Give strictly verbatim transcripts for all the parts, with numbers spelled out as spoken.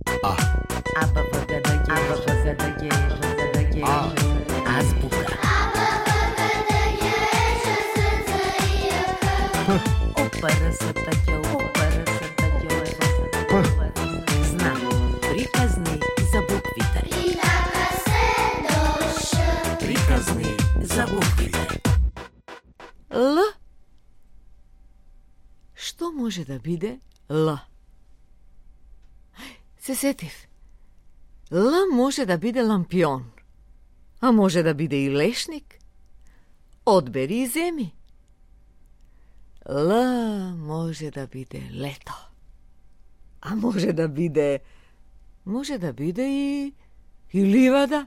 А. А, Б, Г, Д, Г, А, Б, Г, Д, Г, Д, Г, А. азбука. Знак. Приказни за буквите. Приказни за буквите. Л. Што може да биде Л? Се сетив. Л може да биде лампион, а може да биде и лешник. Одбери и земи. Л може да биде лето, а може да биде може да биде и и ливада.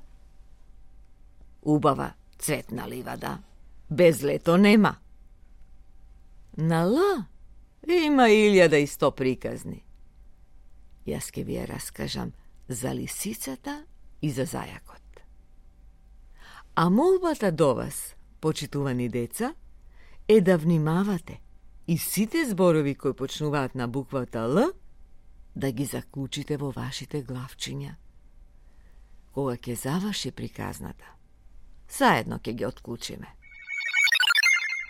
Убава цветна ливада, без лето нема. На Л има илјада и сто приказни. Јас ке ви ја раскажам за лисицата и за зајакот. А молбата до вас, почитувани деца, е да внимавате и сите зборови кои почнуваат на буквата Л да ги заклучите во вашите главчиња. Кога ќе заврши приказната, заедно ќе ги отклучиме.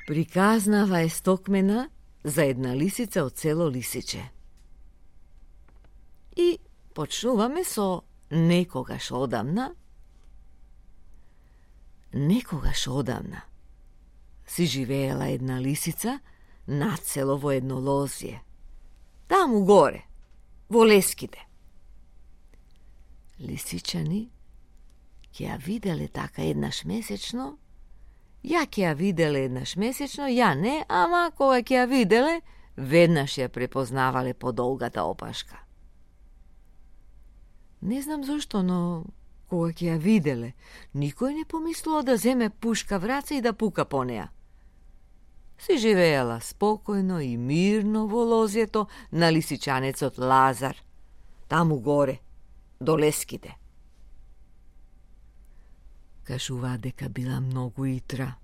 Приказнава е стокмена за една лисица од село Лисиче. И почнуваме со некогаш одамна. Некогаш одамна си живеела една лисица над село во едно лозје. Таму горе, во леските. Лисичани ќе ја виделе така еднаш месечно. Ја ќе ја виделе еднаш месечно, ја не, ама кога ќе ја виделе, веднаш ја препознавале по долгата опашка. Не знам зошто, но кога ќе ја виделе, никој не помислува да земе пушка в раце и да пука по неа. Си живеела спокојно и мирно во лозјето на лисичанецот Лазар, таму горе, до леските. Кажуваат дека била многу итра,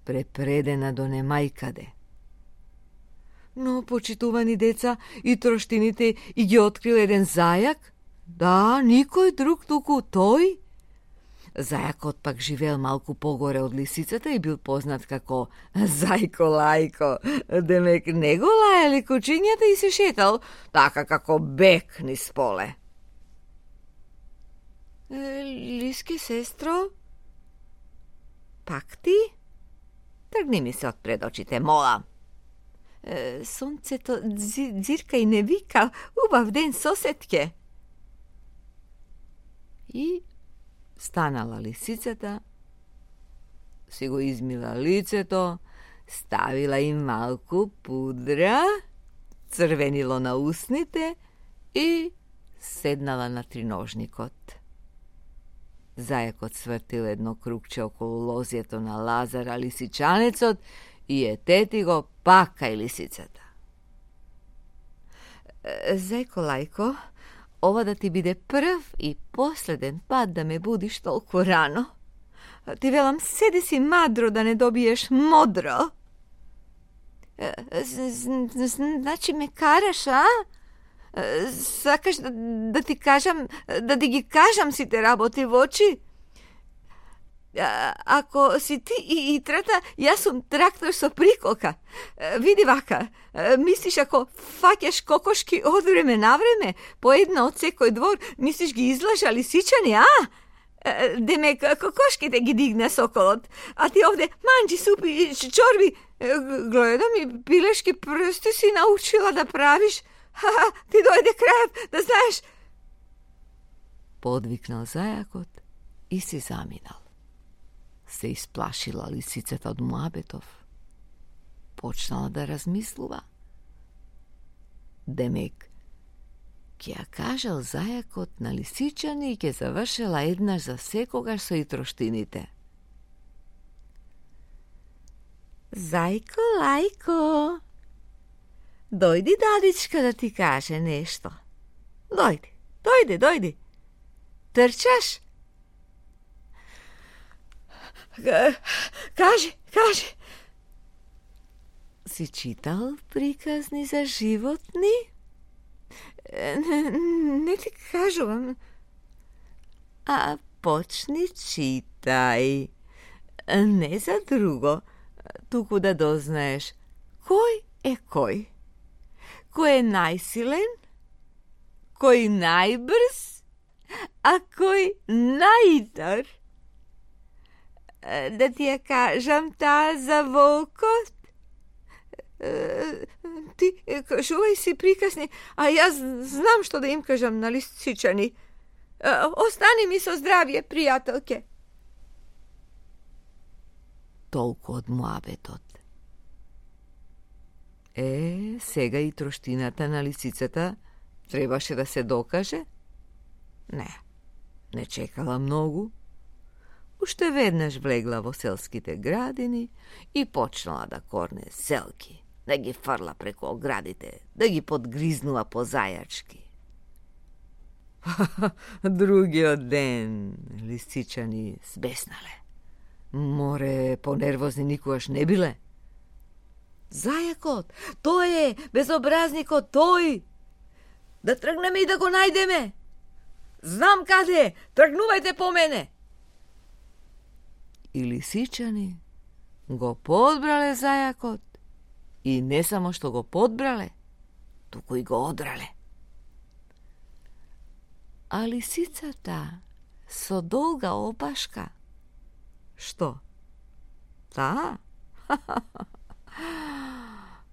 препредена до немајкаде. Но, почитувани деца, и троштините и ги открил еден зајак. Да, никој друг туку тој. Зајакот пак живеел малку погоре од лисицата и бил познат како Зајко Лајко. Демек не го лаеле кучињата и се шетал така како бек низ поле. Лиске сестро, пак ти? Тргни ми се од пред очите, мола. Сонцето дзирка и не вика, убав ден, соседке. И станала лисицата, си го измила лицето, ставила им малку пудра, црвенило на усните и седнала на триножникот. Зајакот свртил едно кругче околу лозјето на Лазара лисичанецот и е тети го пак кај лисицата. Зајко Лајко, ова да ти биде прв и последен пат да ме будиш толку рано. Ти велам, седи си мадро да не добиеш модро. Значи ме караш, а? Сакаш да, да ти кажам, да ти ги кажам сите работи во очи? А, ако си ти и итрата, јас сум трактор со приколка. Види вака, мислиш ако фаќаш кокошки од време на време, по една од секој двор, мислиш ги излажа лисичани, а? Демек, кокошките ги дигна соколот, а ти овде манџи, супи, чорби. Гледам и пилешки прсти си научила да правиш. Ха, ти дојде крајот, да знаеш. Подвикнал зајакот и си заминал. Се исплашила лисицата од муабетов. Почнала да размислува. Демек, ќе ја кажал зајакот на лисичани и ќе завршела еднаш за секогаш со итроштините. Зајко Лајко, дојди дадичка да ти каже нешто. Дојди, дојди, дојди. Трчаш? Кажи, кажи. Си читал приказни за животни? Не, не ти кажувам. А почни читај. Не за друго, туку да дознаеш кој е кој. Кој е најсилен, кој најбрз, а кој најитар. Да ти ја кажам таа за волкот? Ти кажувај си приказни, а јас знам што да им кажам на лисичани. Остани ми со здравје, пријателке. Толку од муабетот. Е, сега и троштината на лисицата требаше да се докаже? Не, не чекала многу. Уште веднаш влегла во селските градини и почнала да корне селки, да ги фрла преку оградите, да ги подгризнува по зајачки. Другиот ден лисичани збеснале. Море, понервозни никогаш не биле. Зајакот, тој е, безобразникот, тој! Да тргнеме и да го најдеме! Знам каде е, тргнувајте по мене! И лисичани го подбрале зајакот и не само што го подбрале, туку и го одрале. А лисицата со долга опашка, што? Таа?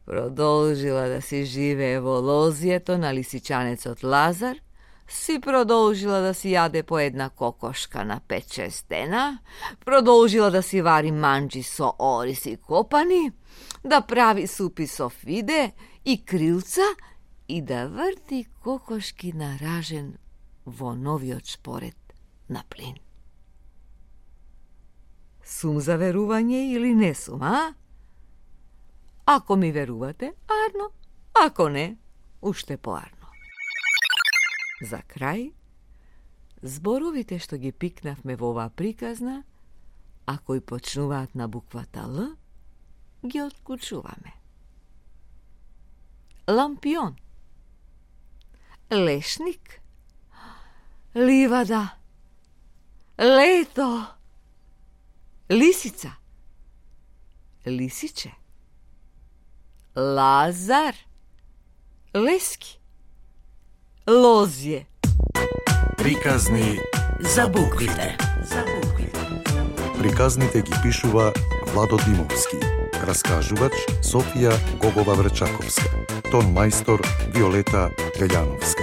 Продолжила да си живее во лозието на лисичанецот Лазар, си продолжила да си јаде по една кокошка на пет-шест дена, продолжила да си вари манџи со ориз и копани, да прави супи со фиде и крилца и да врти кокошки на ражен во новиот шпоред на плин. Сум за верување или не сум, а? Ако ми верувате, арно, ако не, уште поарно. За крај, зборовите што ги пикнавме во оваа приказна, а кои почнуваат на буквата Л, ги откучуваме. Лампион, лешник, ливада, лето, лисица, лисиче, Лазар, лески, лозје. Приказни за буквите. За буквите. Приказните ги пишува Владо Димовски. Раскажувач Софија Гогова Врчаковска. Тон мајстор Виолета Велјановска.